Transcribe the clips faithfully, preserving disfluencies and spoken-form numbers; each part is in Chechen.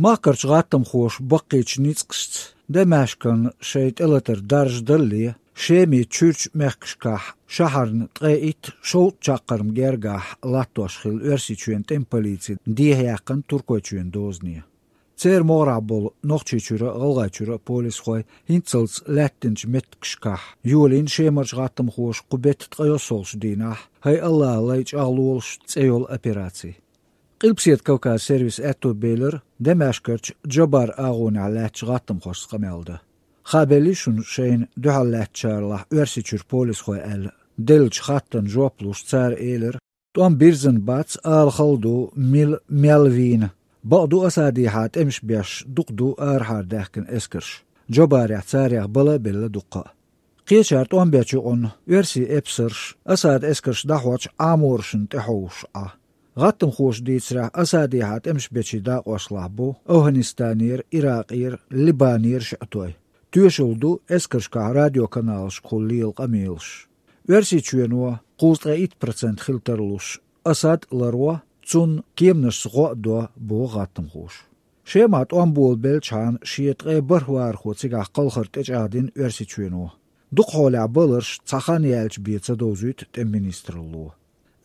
Махкарчу гӀаттамхоша баккхийчу ницкъашца Дамаскан шайн тӀелатар даржадалле, Шеман чуьрчу мехкашкахь шахьарна ткъе итт шовзткъа чаккхарма гергахь латтош хилла Оьрсийчоьнан тӀеман полици дехьаяьккхина Туркойчоьнан дозане. Церан могӀарехь болу Нохчийчуьра а, ГӀалгӀайчуьра а полисхой хӀинццалц лаьттинчу меттигашкахь йолийна Шемарчу гӀаттамхоша кху беттан ткъе йоьссалгӀачу дийнахь «ХӀай АллахӀ, лай чӀагӀлолаш» цӀе йолу операци. Къилбаседа Кавказ сервисан аьтто белира Дамаскарчу Джабар агӀонехь лаьттачу гӀаттамхошца къамел дан. Хабелли шуна шайна дуьхьал лаьттачарлахь Оьрсийчуьра полисхой аьлла деллачу хаттарна жоп луш, цара элира: «ТӀом бирзина бац, ала хала ду, мила мел вийна. Бакъду, Асадехьа тӀемаш беш дукха ду арахьара даьхкина эскарш. Джабарехь царех бала а белла дуккха а». Кхечара тӀом бечу юкъанна оьрсийн эпсарш Асадан эскарш дӀахьочу Ӏаморашна тӀе хьовсуш Ӏа. ГӀаттамхоша дийцарехь, Асадехьа тӀемаш бечийн дакъошлахь бу АвгӀанистанера, Иракъера, Либанера шиъ той. Тоьшалла ду эскаршкахь радиоканалашкахула лела къамелаш. Оьрсийчоьно кхузткъе итт процент хила тарлуш, Асад а ларво, цунна кеманашца гӀо а до, боху гӀаттамхоша. Шемахь тӀом болабеллачхьана шен ткъе бархӀ вахархо цигахь кхалхар тӀечӀагӀдина Оьрсийчоьно. Дукха хьолехь баларш цхьа хан яьлча бен ца довзуьйту тӀеман министралло.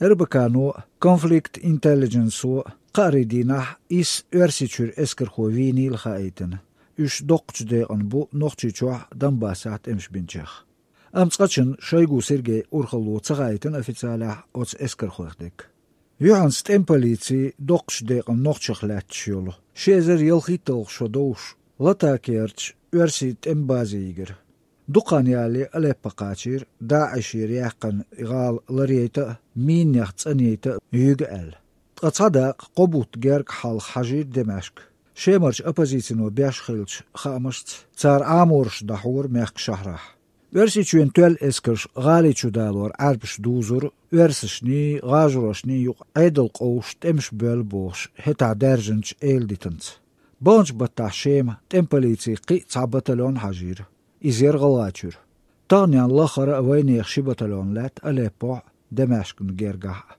РБК-но а, Conflict Intelligence-о а кхаарин дийнахь исс Оьрсийчуьра эскархо вийнийла хаийтина. Уьш доккхачу декъана бу Нохчийчохь а, Донбассехь а тӀемаш бинчех. Амма цкъачунна Шойгу Сергейн урхалло ца хаийтина официалехь оцу эскархойх дерг. Юьхьанца тӀеман полици доккхачу декъана нохчех лаьтташ йолу, ши эзар ялхитталгӀа шо довш, Латакерчу оьрсийн тӀеман базе йигира. Дукха хан ялале Алеппо кхачийра, ДАИШера яьккхина и гӀала ларъяйта а, минех цӀанъяйта а юьйгу аьлла. Ткъа цхьа дакъа кхо бутт герга хьалха хьажийра Дамаска. Шемарчу оппозицино беш хиллачу хаамашца, цара Ӏамораш дӀахьора мехкан шахьарахь. Оьрсийчоьнан тоьлла эскарш гӀали чу далор Ӏаьрбаша дузура оьрсашний, гӀажарошний юкъа Ӏедал къовсуш тӀемаш боьлла бохуш хӀетахь даьржинчу эладитанца. Баханчу баттахь Шема тӀеман полицин кхин а цхьа батальон хьажийра. Иза яра ГӀалгӀайчуьра. Тахана лаххара а вайнехан ши батальон лаьтта Алеппохь а, Дамаскна гергахь а.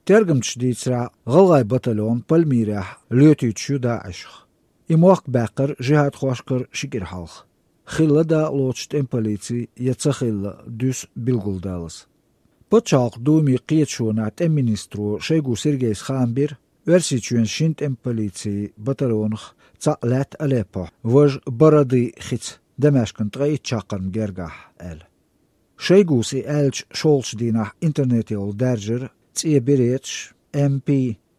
Тергамчаша дийцарехь, гӀалгӀайн батальон Пальмирехь лоьтуьйтуш ю ДАИШах. И мохк баьккхира жихӀадхошкара ши кӀира хьалха. Хилла дакъалоцуш тӀеман полици я ца хилла, дуьсу билгалдалаза. Пачхьалкхан Думин кхеташонехь тӀеман министро Шойгу Сергейс хаам бира, Оьрсийчоьнан шина тӀеман полицин батальонах цхьаъ лаьтта Алеппохь, важа Барадын хица, Дамаскна ткъе итт чаккхарма гергахь аьлла. Шойгус и аьллачу шолгӀачу дийнахь интернетехула даьржира цӀен береташ, МП,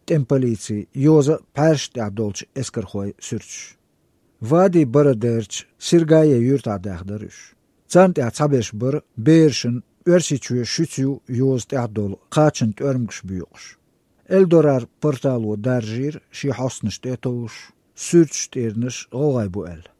тӀеман полици, йоза а пхьаьршна тӀехь долчу эскархойн суьрташ. Вади Барадерчу Сиргае юьртахь даьхна дара уьш. Царна тӀехь цхьаберш бара берашна Оьрсийчоь шуьца ю йоза тӀехь долу кхачанан тӀоьрмигаш боькъуш. Эльдорад портало даржийра шен хьостанаш тӀе а товш, суьрташ тӀернаш гӀалгӀайн бу аьлла.